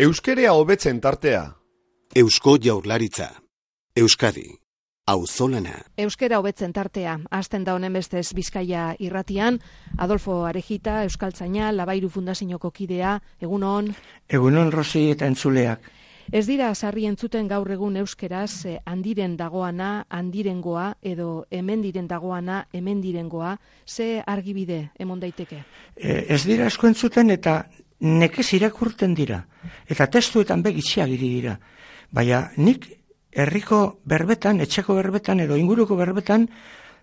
Euskerea hobetzen tartea. Eusko Jaurlaritza. Euskadi. Auzolana. Euskera hobetzen tartea. Hasten da honen bestez Bizkaia irratian. Adolfo Arejita, euskaltzaina, Labairu Fundazioko kidea. Egunon. Egunon, Rosi eta entzuleak. Ez dira sarri entzuten gaur egun euskeraz handiren dagoana, handirengoa, edo hemendiren dagoana, hemendirengoa. Ze argibide emon daiteke? Ez dira asko entzuten eta nekez irakurten dira. Eta testuetan begitxiagiri dira. Baina nik herriko berbetan, etxeko berbetan edo inguruko berbetan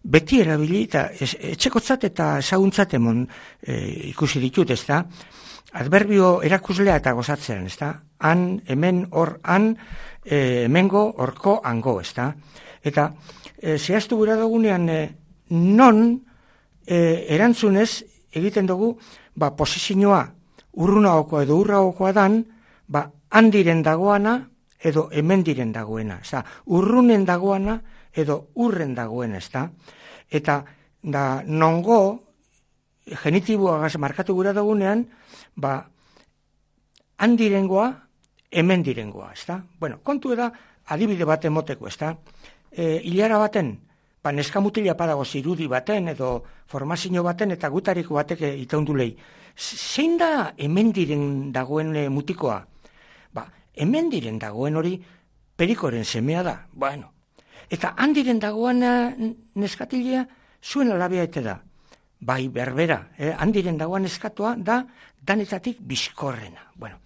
beti erabili eta etxekotzat eta ezaguntzat emon ikusi ditut, ezta? Adverbio erakuslea eta gozatzean, ezta? Han, hemen, hor, han, hemengo, horko, hango, ezta? Eta zehaztu gura dugunean non erantzunez egiten dugu posizioa urrunagokoa edo urragokoa dan, handiren dagoana edo hemendiren dagoena, ezta? Urrunen dagoana edo urren dagoena, ezta? Eta nongo genitiboagaz markatu gura dugunean, handirengoa, hemendirengoa, ezta? Bueno, kontu da adibide bat emoteko, ezta? Hilara baten, neskamutila padago zirudi baten edo formazio baten eta gutariko batek itaundulei. Zein da hemendiren dagoen mutikoa? Hemendiren dagoen hori perikoren semea da. Bueno, eta handiren dagoen neskatilea zuen alabea ete da. Bai, berbera, handiren dagoen neskatua da danetatik bizkorrena. Bueno,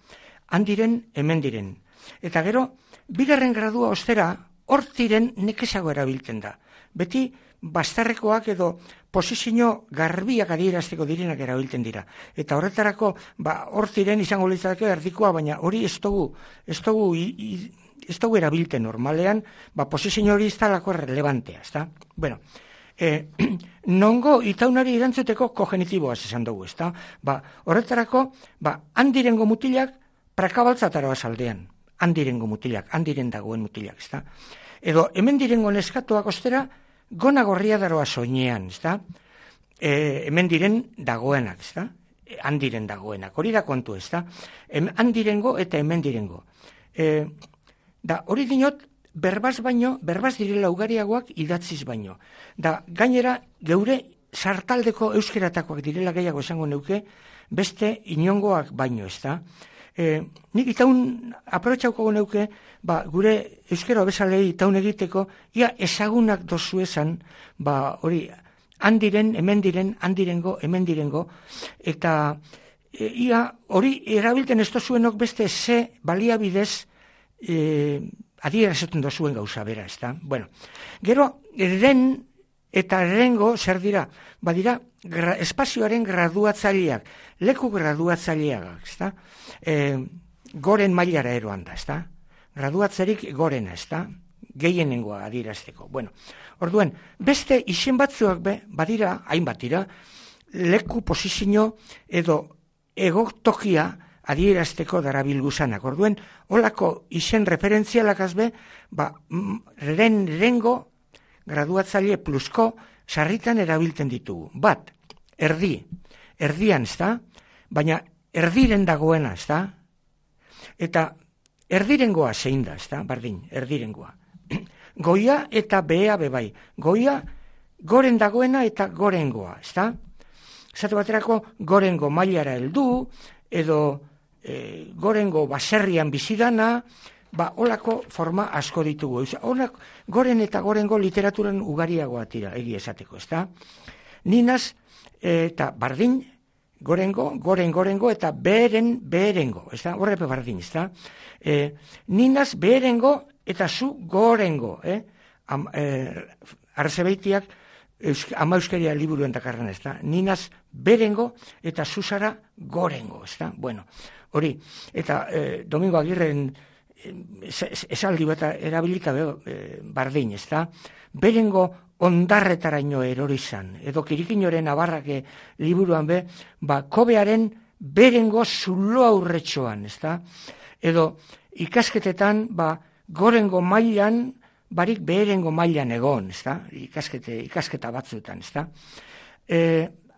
handiren, hemendiren. Eta gero, bigarren gradua ostera, hortiren nekezago erabiltzen da. Beti, bastarrekoak edo posizio garbiak adierazteko direnak erabiltzen dira. Eta horretarako, hortiren izango litzateke erdikoa, baina hori ez dugu erabiltzen normalean, posizio hori ez talako relevantea, ezta? Bueno, nongo itaunari erantzuteko kogenitiboaz esan dugu, ezta? Horretarako, handirengo mutilak prakabaltzatara aldean. Handirengo mutilak, handiren dagoen mutilak, ezta? Edo hemen direngo neskatuak ostera, gona gorria daroa soinean, ezta? Hemen diren dagoenak, ezta? Handiren dagoenak, hori da kontu, ezta? Handirengo eta hemen direngo. Hori dinot, berbaz direla ugariagoak idatziz baino. Gainera, geure sartaldeko euskeratakoak direla gehiago esango neuke, beste inongoak baino, ezta? Nik itaun aprobetxauko neuke, gure euskera bezalei itaun egiteko, ia ezagunak dozu esan, hori, handiren, hemendiren, handirengo, hemendirengo, eta ia hori erabilten ez dozuenok beste ze baliabidez adierazten dozuen gauza bera, ezta? Bueno, gero, ren eta rengo zer dira? Badira, espazioaren graduatzaileak, leku graduatzaileak, ezta? Goren mailara eroan da, ezta? Graduatzerik gorena, ezta? Gehienengoa adierazteko. Bueno, orduen, beste izen batzuak badira, hainbat dira, leku posizio edo egotokia adierazteko darabilguzanak. Orduen, holako izen referentzialakaz rengo graduatzaile plusko sarritan erabiltzen ditugu. Bat, erdian, ezta? Baina erdiren dagoena, ezta? Eta erdirengoa zein da, ezta? Bardin, erdirengoa. Goia eta behea bebai. Goia, goren dagoena eta gorengoa, ezta? Zatu baterako, gorengo mailara heldu, edo gorengo baserrian bizidana, holako forma asko ditugu. Goren eta gorengo literaturan ugariagoa tira, egia esateko, ezta? Ninaz eta bardin, gorengo eta beherengo, ezta? Horrepe bardin, ezta? Ninaz beherengo eta zu gorengo, arzebeitiak ama euskeria liburuen dakarren, ezta? Ninaz beherengo eta zuzara gorengo, ezta? Bueno, hori, eta Domingo Agirren esaldi bat erabilita bardin, ezta? Berengo ondarretaraino erorizan, edo Kirikinoren abarrake liburuan kobearen berengo zulo aurretxoan, ezta? Edo ikasketetan, gorengo mailan, barik beherengo mailan egon, ezta? Ikasketa batzuetan, ezta?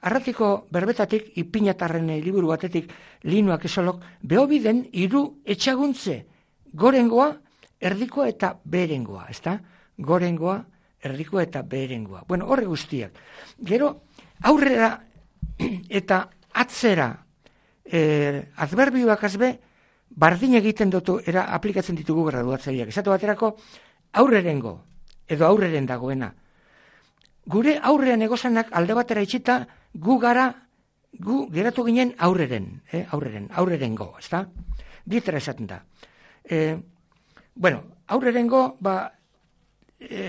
Arratiko berbetatik, ipinatarren liburu batetik, linuak esolok, behobiden 3 etxaguntze, gorengoa, erdikoa eta beherengoa, ezta? Gorengoa, erdikoa eta beherengoa. Bueno, horre guztiak. Gero, aurrera eta atzera, adverbioak azbe, bardin egiten dutu, aplikatzen ditugu graduatzaileak. Esatu baterako, aurrerengo, edo aurreren dagoena. Gure aurrean egozanak alde batera itxita, gu geratu ginen aurrerengo, ezta? Bietara esaten da. Aurrerengo,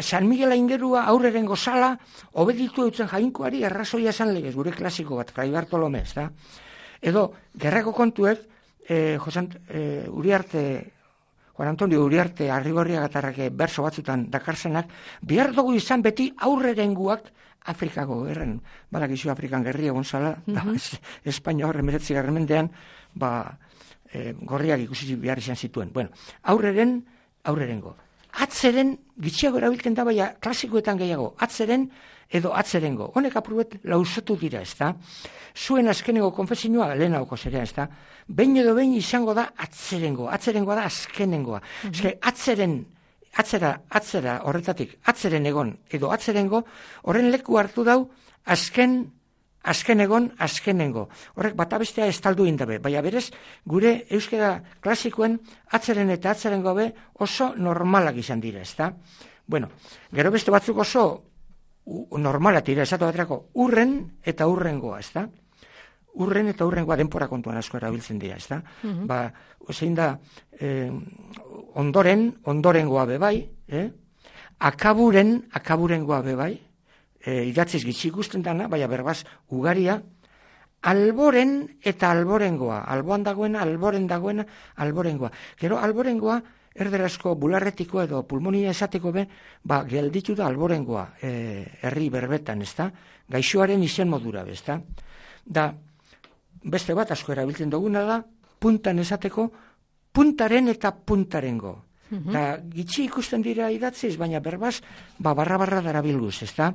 San Miguel aingerua aurrerengo sala, obeditu eutzen jainkoari errazoia esan legez, gure klasiko bat, Fray Bartolome, ezta? Edo, gerrako kontuek, Juan Antonio Uriarte Arrigorriagatarrak berso batzutan dakarzenak, behar dugu izan beti aurrerenguak Afrikako gerren. Badakizu Afrikan gerria gonzala, Espainia horre 19. mendean, gorriak ikusi behar izan zituen. Bueno, aurrerengo. Atzeren, gitxiago erabiltzen da, baina klasikoetan gehiago, atzeren edo atzerengo. Honek apurret lausatu dira, ezta? Zuen azkenengo konfesinua, lehenauko zerea, ezta? Behin edo behin izango da atzerengoa da azkenengoa. Atzera horretatik, atzeren egon edo atzerengo, horren leku hartu dau azken egon, azkenengo. Horrek batabestea estaldu indabe, baina berez, gure euskara klasikoen atzeren eta atzerengo be oso normalak izan dira, ezta? Bueno, gero beste batzuk oso normalak dira, esatu baterako, urren eta urrengoa, ezta? Urren eta urrengoa denpora kontuan asko erabiltzen dira, ezta? Zein da, ondorengoa bebai, akaburengoa bebai, idatziz gitxi ikusten dana, baina berbaz ugaria, alboren eta alborengoa, alboan dagoena, alboren dagoena, alborengoa. Gero alborengoa, erderazko bularretiko edo pulmonia esateko be, gelditu da alborengoa, herri berbetan, ezta? Gaixoaren izen modura, ezta? Da, beste bat asko erabiltzen duguna da, puntan esateko, puntaren eta puntarengo. Da, gitxi ikusten dira idatziz, baina berbaz, barra darabilguz, ezta?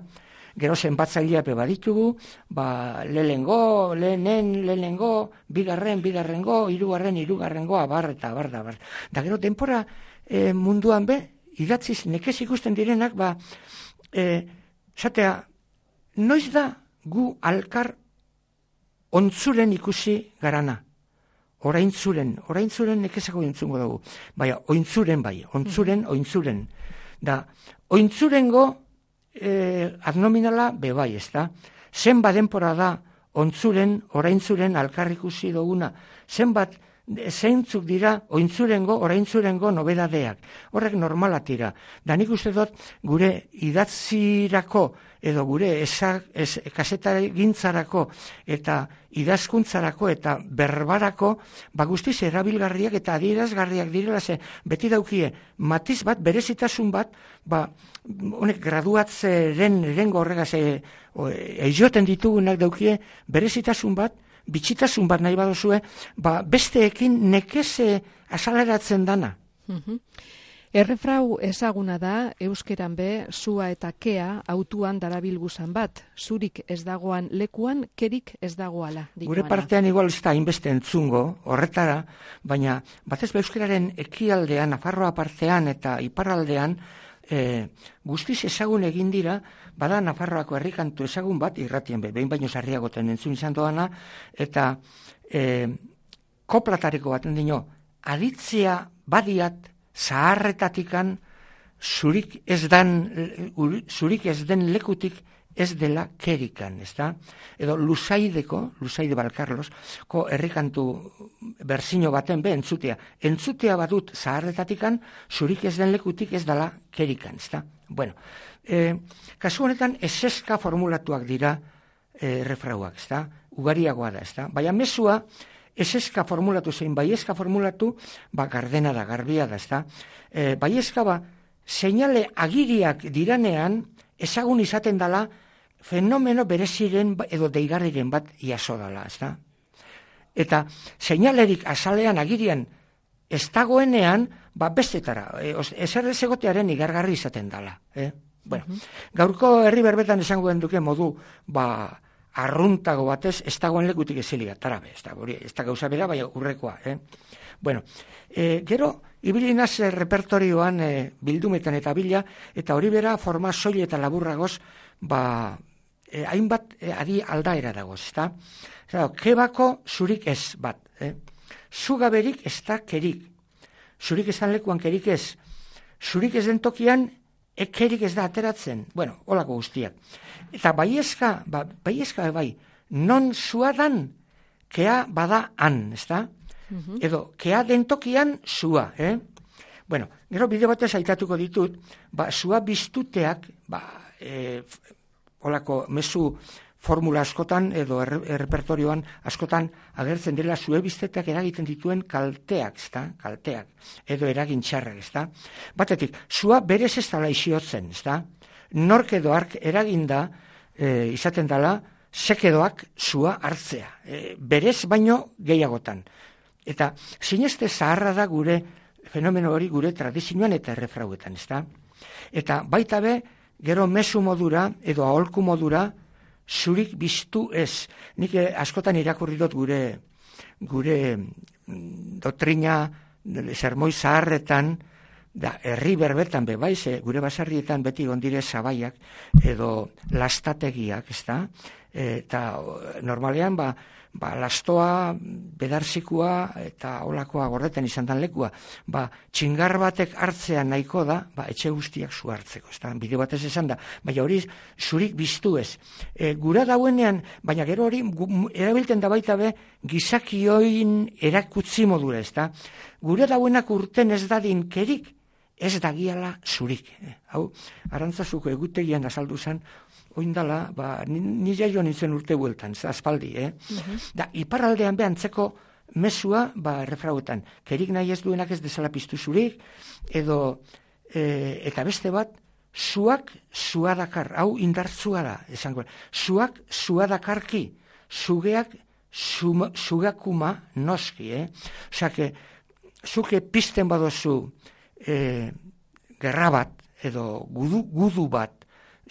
Gero zenbatzailea baditugu, lehenengo, bigarrengo, hirugarrengo, abar. Da gero denpora munduan be, idatziz nekez ikusten direnak, zatea, noiz da gu alkar ontzuren ikusi garana. Oraintzuren nekezako entzungo dugu. Baina, ointzuren. Da, ointzurengo adnominala bebai, ezta? Zenbat denpora da ontzuren, oraintzuren alkarrikusi duguna. Zenbat zeintzuk dira ointzurengo, oraintzurengo nobedadeak. Horrek normalatira. Da nik uste dut gure idatzirako edo gure kasetagintzarako eta idazkuntzarako eta berbarako guztiz erabilgarriak eta adierazgarriak direla ze beti daukie matiz bat, berezitasun bat, honek graduatzeren erengo horregaz eioten ditugunak daukie berezitasun bat, bitxitasun bat nahi badozue, besteekin nekez asaleratzen dana. Errefrau ezaguna da, euskeran be, sua eta kea autuan darabilguzan bat. Zurik ez dagoan lekuan, kerik ez dagoala. Gure partean igual ez da inbeste entzungo, horretara, baina batez euskararen ekialdean, Nafarroa partean eta iparraldean, guztiz ezagun egin dira, bada Nafarroako herrikantu ezagun bat, irratien behin baino sarriagoten entzun izan doana, eta koplatariko baten dino, aditzea badiat, zaharretatikan zurik ez den lekutik ez dela kerikan, ezta? Edo Luzaide Balkarlos, herrikantu berzino baten entzutea badut zaharretatikan zurik ez den lekutik ez dela kerikan, ezta? Bueno, kasu honetan eseska formulatuak dira refrauak, ezta? Ugariagoa da, ezta? Baina mesua eseska formulatu zein, baiezka formulatu, gardena da, garbia da, ezta? Baiezka seinale agiriak diranean, ezagun izaten dala, fenomeno bereziren edo deigarriren bat jaso dala, ezta? Eta seinalerik azalean agirian ez dagoenean, bestetara, ezer ez egotearen igargarri izaten dala. Bueno, gaurko herri berbetan esango den duke modu, arruntago batez, ez dagoen lekutik ezilia, tarabe, ez da gauza bera, bai urrekoa. Bueno, gero, ibilinaz repertorioan bildumetan eta bila, eta hori bera forma soil eta laburragoz, hainbat adi aldaera dagoz, ez da? Kebako zurik ez bat, zugaberik ez da kerik, zurik ezan lekuan kerik ez, zurik ez den tokian, kerik ez da ateratzen, bueno, holako guztiak. Eta baiezka bai, non zuadan, kea bada han, ez da? Edo, kea den tokian zua, Bueno, gero bide batez aitatuko ditut, zua biztuteak, holako mezu formula askotan edo errepertorioan askotan agertzen dela zue biztetak eragiten dituen kalteak, kalteak, edo eragin txarrak, Batetik, zua berez ez dala isiotzen, Nork edo ark eraginda izaten dela sekedoak zua hartzea, berez baino gehiagotan. Eta sineste zaharra da gure fenomeno hori gure tradizioan eta errefrauetan, Eta baita be, gero mezu modura edo aholku modura zurik biztu ez. Nik askotan irakurri dut gure doktrina sermoi zaharretan, herri berbetan bai, gure basarrietan beti gondire zabaiak edo lastategiak, eta normalean lastoa, bedarzikua eta olakoa gordetan izan dan lekua, txingar batek hartzea nahiko da, etxe guztiak zu hartzeko, bide batez esan da, baina hori zurik biztu ez. Gura dauenean, baina gero hori erabilten da baita be, gizakioin erakutzi modura, gura dauenak urten ez dadin kerik, ez dagiala zurik. Hau, Arantzazuko egutegian azaldu zen, oindala, ni jaio nintzen urte bueltan, aspaldi, Da, iparraldean behantzeko mesua, refrauetan, kerik nahi ez duenak ez dezala piztu zurik, edo, eta beste bat, zuak zua dakar, hau indartzua da, esango, zuak zua dakarki, zugeak zugakuma noski, Osake, zuke pizten badozu gerra bat, edo gudu bat,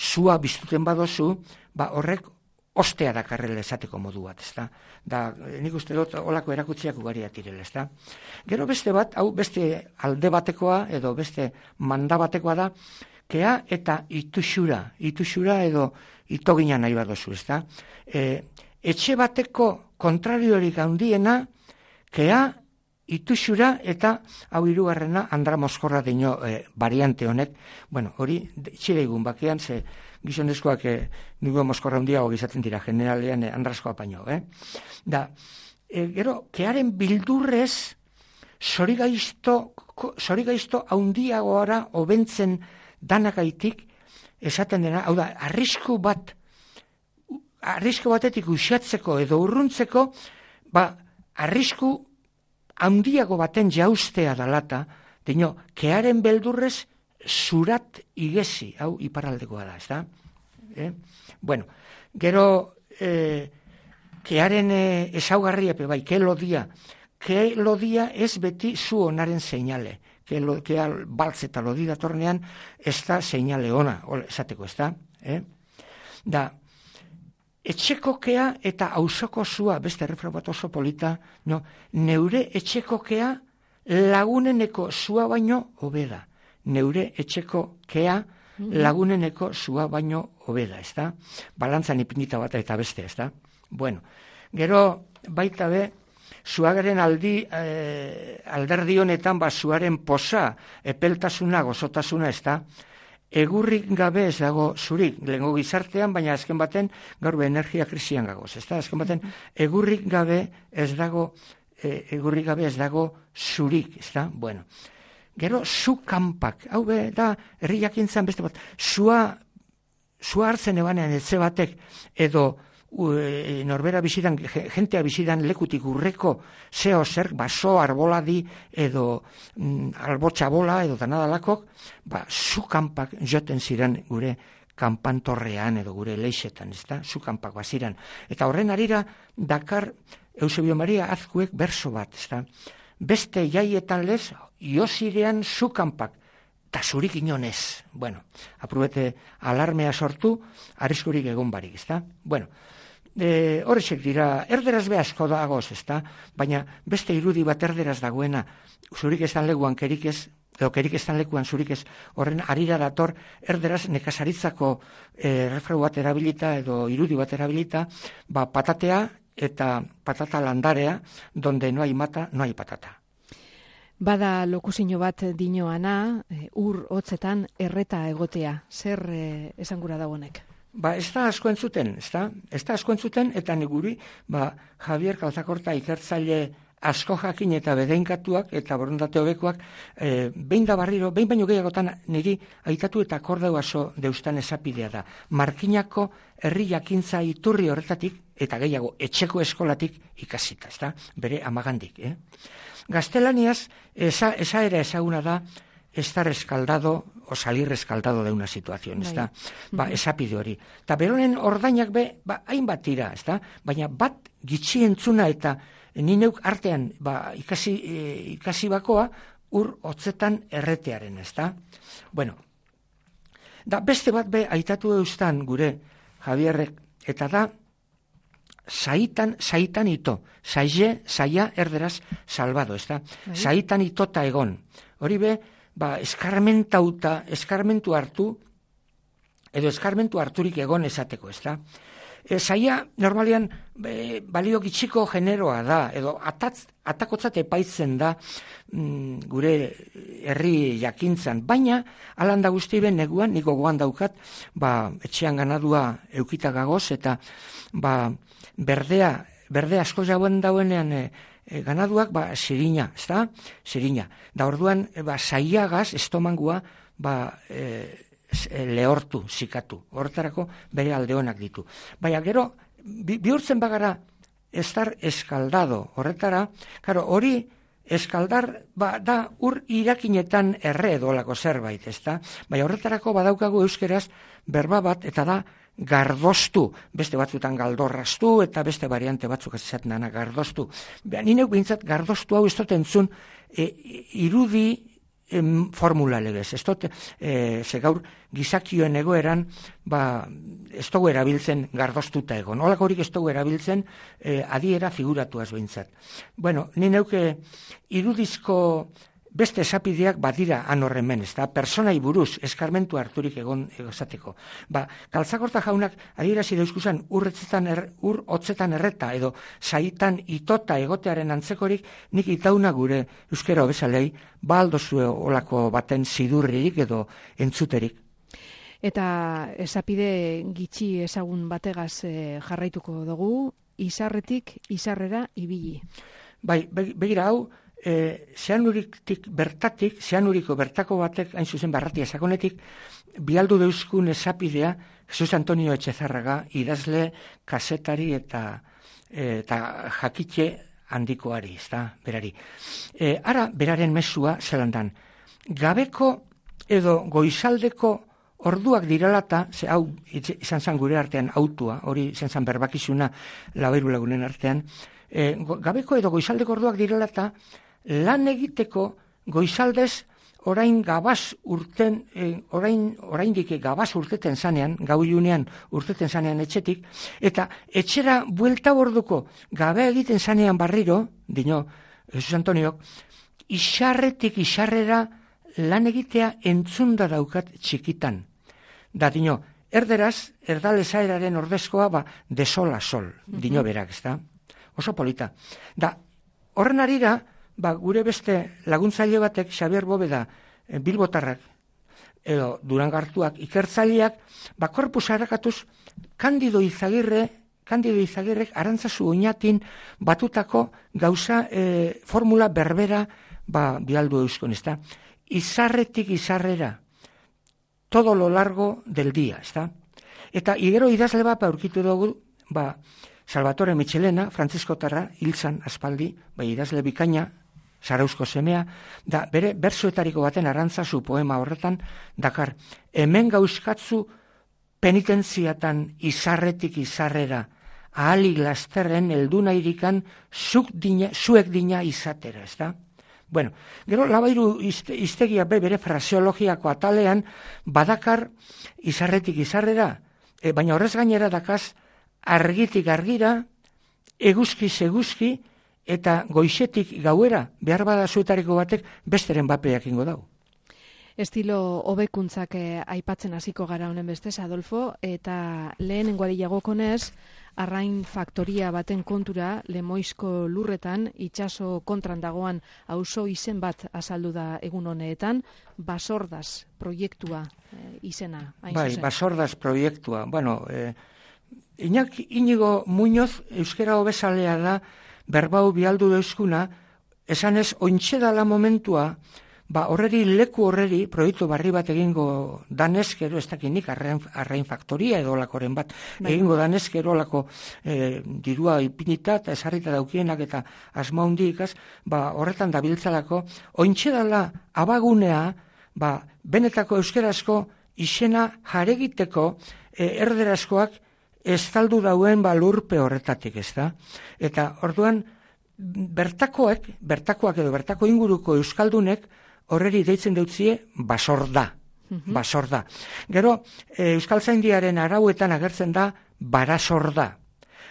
zua biztuten badozu, horrek ostea dakarrela esateko modu bat, Da, nik uste dut olako erakutsiak ugariak direla, Gero beste bat, hau beste alde batekoa, edo beste manda batekoa da, kea eta itusura edo itogina nahi badozu, etxe bateko kontrariorik handiena, kea, itusura eta hau hirugarrena Andra Moskorra deino variante honek, hori txireigun bakean, ze gizonezkoak nugo Moskorra handiago gizatzen dira, generalean Andraskoa baino, Da, gero, kearen bildurrez zorigaizto handiagoara hobentzen danakaitik esaten dena, hau da, arrisku batetik uxatzeko edo urruntzeko, arrisku handiago baten jaustea dalata, dino, kearen beldurrez zurat igezi, hau iparraldekoa da, Bueno, gero, kearen ezaugarria, ke lodia ez beti zu onaren seinale, kea baltz eta lodi datornean ez da seinale ona, esateko, Da, etxekokea eta auzoko zua, beste errefrau bat oso polita, neure etxekokea laguneneko zua baino hobeda. Neure etxekokea laguneneko zua baino hobeda, Balantzan ipinita bat eta beste, Bueno, gero baita be, zuagaren alderdi honetan, zuaren posa, epeltasuna, gozotasuna, egurrik gabe ez dago zurik, lehengo gizartean, baina azken baten gaur energia krisian gagoz, azken baten egurrik gabe ez dago zurik, Bueno, gero zu kanpak, hau da herri jakintzan beste bat, zua hartzen ebanean etxe batek edo norbera bizidan, jentea bizidan lekutik urreko zeo zer, baso, arboladi edo albotxabola edo danadalakok, zu kanpak joten ziren gure kanpantorrean edo gure leixetan, zu kanpak baziran. Eta horren arira dakar Eusebio Maria Azkuek berso bat, beste jaietan lez, iozirean zu kanpak, eta zurik inonez. Bueno, aprobete alarmea sortu, arriskurik egon barik, Bueno, horrexek dira, erderaz be asko dagoz, ezta? Baina beste irudi bat erderaz dagoena, zurik estan lekuan kerik ez, edo kerik estan lekuan zurik ez, horren arira dator erderaz nekazaritzako refrau bat erabilita edo irudi bat erabilita, patatea eta patata landarea, donde no hay mata, no hay patata. Bada lokusino bat dinoana, ur hotzetan erreta egotea. Zer esangura dagoenek? Ez da asko entzuten, ez da asko entzuten, eta niguri, Javier Kalzakorta ikertzaile asko jakin eta bedeinkatuak eta borondate hobekoak, behin baino gehiagotan niri aitatu eta akordau aso deustan esapidea da. Markinako herri jakintza iturri horretatik, eta gehiago etxeko eskolatik ikasita, bere amagandik. Gaztelaniaz, esa era ezaguna da, estar escaldado o salir escaldado de una situación, esapide hori. Eta beronen ordainak hainbat dira, baina bat gitxi entzuna eta ni neuk artean ikasi bakoa ur hotzetan erretearen, Bueno, da beste bat aitatu eustan gure Javierrek, eta da saitan ito, saia erderaz salvado, saitan itota egon. Hori eskarmentu hartu, edo eskarmentu harturik egon esateko, Saia normalian balio gitxiko generoa da, edo atakotzat epaitzen da gure herri jakintzan, baina alanda guzti ben neguan, niko gogoan daukat, etxean ganadua eukita gagoz, eta berde asko jauen dauenean ganaduak, sirina, sirina. Da orduan, saiagaz, estomangua, lehortu, zikatu. Horretarako bere aldeonak ditu. Baina gero, bihurtzen bagara estar eskaldado. Horretara, hori eskaldar da ur irakinetan erre edolako zerbait, Baina horretarako badaukagu euskeraz berba bat, eta da gardostu, beste batzutan galdorraztu, eta beste variante batzuk esaten dana gardostu. Ni neuk bintzat gardostu hau ez dut entzun irudi formula legez. Ez dut, ze gaur gizakioen egoeran, ez dugu erabiltzen gardostuta egon. Olako horik ez dugu erabiltzen adiera figuratuaz bintzat. Bueno, ni neuke irudizko beste esapideak badira anorremen, personai buruz eskarmentu harturik egon egozateko. Kaltzakorta jaunak adierazi dauzkuzan ur hotzetan erreta edo saitan itota egotearen antzekorik, nik itauna gure euskera hobezalei aldozue olako baten zidurririk edo entzuterik. Eta esapide gitxi ezagun bategaz jarraituko dugu, izarretik izarrera ibili. Begira hau, zeanuriko bertako batek, hain zuzen Barratia sakonetik, bialdu deuzkun esapidea, Jesus Antonio Etxezarraga, idazle, kasetari eta jakitxe handikoari, berari. Ara, beraren mesua zelandan, gabeko edo goizaldeko orduak diralata, hau izan zan gure artean autua, hori izan zan berbakizuna labairu lagunen artean, gabeko edo goizaldeko orduak diralata, lan egiteko goizaldez orain gabaz urten, oraindik gabaz urteten zanean, gau ilunean urteten zanean etxetik, eta etxera buelta borduko gabe egiten zanean barriro, dino, Jesus Antoniok, isarretik isarrera lan egitea entzunda daukat txikitan. Da, dino, erderaz, erdalezaeraren ordezkoa, de sol a sol, dino berak, oso polita. Da, horren arira, gure beste laguntzaile batek, Xabier Bobeda, Bilbotarrak, edo Durangartuak, ikertzaileak, korpus harakatuz, Kandido Izagirrek Arantzazu Oñatin batutako gauza formula berbera bialdu euskon, izarretik izarrera, todo lo largo del día, Eta igero idazle bat aurkitu dugu, Salvatore Michelena, Frantziskotarra, hiltzan aspaldi, idazle bikaina, Zarauzko semea, da bere bertsoetariko baten Arantzazu poema horretan, dakar, hemen gauzkatzu penitentziatan izarretik izarrera, ahalik lasterren elduna irikan zuek dina izatera, Bueno, gero labairu iztegia bere fraseologiako atalean badakar izarretik izarrera, baina horrez gainera dakaz argitik argira, eguzkiz eguzki, eta goizetik gauera, behar bada zuetariko batek besteren bapeak ingo dau. Estilo hobekuntzak aipatzen hasiko gara honen bestez, Adolfo, eta lehenengoari jagokonez, arrain faktoria baten kontura, Lemoizko lurretan, itsaso kontran dagoan auzo izen bat azaldu da egun honetan, Basordaz proiektua izena. Bai, Basordaz proiektua. Bueno, Iñigo Muñoz, euskera hobezalea da, berbau bialdu deuskuna, esanez, ointxe dala momentua, horreri, leku horreri, proiektu barri bat egingo danezkero, ez dakinik, arrain faktoria edo lakoren bat, egingo danezkero lako dirua ipinita eta esarrita daukienak eta asma hundikaz, horretan dabiltzalako, ointxe dala abagunea, benetako euskerazko izena jaregiteko erderazkoak estaldu dauen lurpe horretatik, ez da? Eta orduan, bertakoak edo bertako inguruko euskaldunek horreri deitzen deutzie Basorda. Basorda. Gero, Euskaltzaindiaren arauetan agertzen da Barasorda.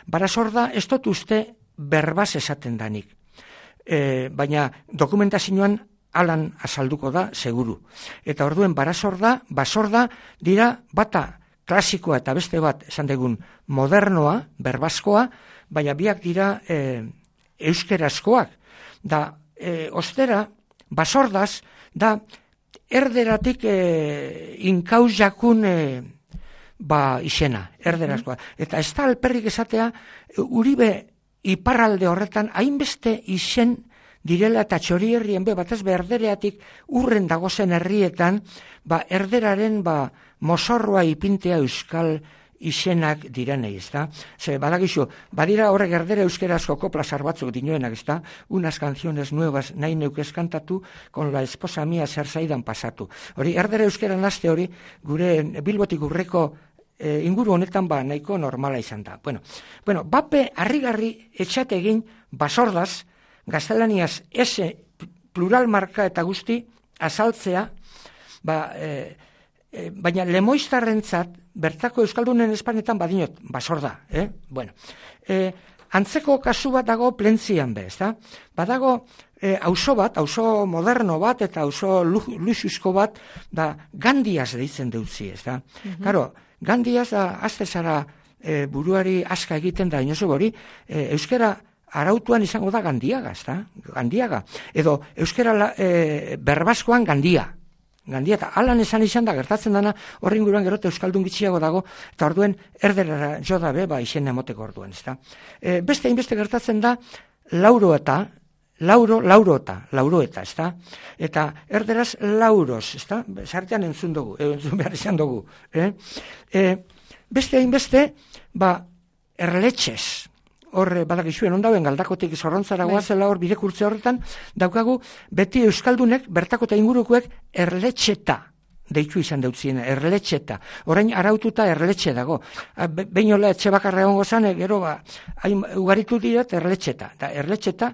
Barasorda ez dut uste berbaz esaten danik. Baina dokumentazioan alan azalduko da, seguru. Eta orduen Barasorda, Basorda dira bata klasikoa eta beste bat esan degun modernoa, berbazkoa, baina biak dira euskerazkoak. Da, ostera, Basordaz, da, erderatik inkauz jakun izena, erderazkoa. Eta ez da alperrik esatea, Uribe iparralde horretan, hainbeste izen direla eta txori herrien batez erdereatik urren dagozen herrietan, erderaren mozorroa ipintea euskal izenak direnei, ez da? Ze, badagizu, badira horrek erdere euskerazko koplasar batzuk dinoenak, ez da? Unas canciones nuevas nahi neukez kantatu, con la esposa mía zer zaidan pasatu. Hori, erdere euskeran aste hori, gure Bilbotik urreko inguru honetan nahiko normala izan da. Bueno, bape harrigarri etxate egin Basordaz, gaztelaniaz ese plural marka eta guzti azaltzea, baina lemoiztarrentzat, bertako euskaldunen espanetan badinot, Basorda. Bueno, antzeko kasu bat dago Plentzian be, ezta? Badago auzo bat, auzo moderno bat eta auzo luxuzko bat, Gandiaz deitzen deutzi, ezta? Claro, Gandiaz da azte zara buruari aska egiten da inozo hori, euskera arautuan izango da Gandiaga, ezta? Gandiaga. Edo euskera berbazkoan Gandia, eta alan esan izan da, gertatzen dana, horren guruan gerota euskaldun gitxiago dago, eta orduen erdera jo da be, izen emoteko orduan, ezta. Beste hainbeste gertatzen da, lauroeta, ezta. Eta erderaz lauros, ezta. Sartean entzun behar izan dugu. Beste hainbeste, erletxez, hor badakizuen ondauen galdakotik zorrontzara goazela hor bidekurtze horretan, daukagu beti euskaldunek, bertako eta ingurukoek erletxeta deitu izan deutzien, erletxeta. Orain araututa erletxe dago. Behin hola etxe bakarra egongo zan, gero ugaritu dira erletxeta. Da erletxeta,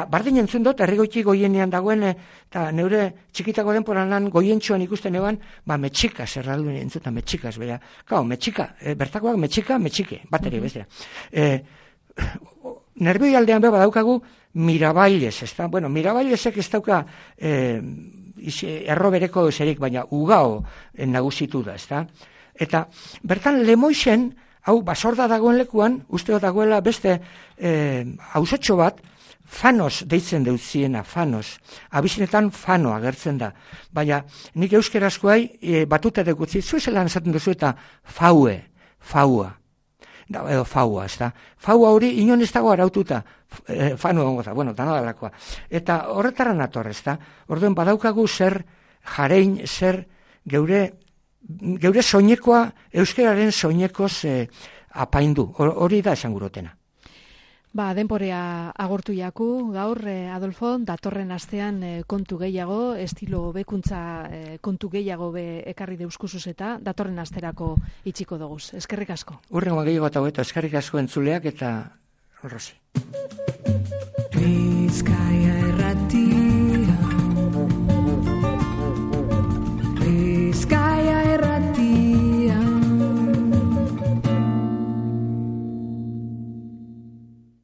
bardin entzun dut, herrigoiti goienean dagoen, eta neure txikitako denporanan goientxoan ikusten eban, metxikas, erralduen entzuta metxikas, bera. Kao, metxika, bertakoak metxike, bateri, bestera. Nerbioi aldean beba daukagu Mirabailez, ezta? Bueno, Mirabailezek ez dauka erro bereko eserik, baina ugao nagusitu da, ezta? Eta bertan Lemoixen, hau Basorda dagoen lekuan, usteo dagoela beste auzotxo bat, Fanos deitzen deutziena, Fanos. Abizinetan Fano agertzen da. Baina nik euskerazkoai batuta dekutzi, zuezelan esaten duzu eta faua. Edo faua, ez da. Faua hori inon ez dago araututa, fanu egongo da, bueno, dana dalakoa. Eta horretara nator, ez da. Orduen badaukagu zer jarein, zer geure soinekoa, euskeraren soinekoz apaindu. Hori da esan gurotena. Denporea agortu jaku, gaur, Adolfo, datorren astean kontu gehiago, estilo hobekuntza kontu gehiago ekarri deuskusuz eta datorren asterako itxiko doguz. Eskerrik asko. Urrengo gehiago eta hobeto, eskerrik asko entzuleak eta Rosi.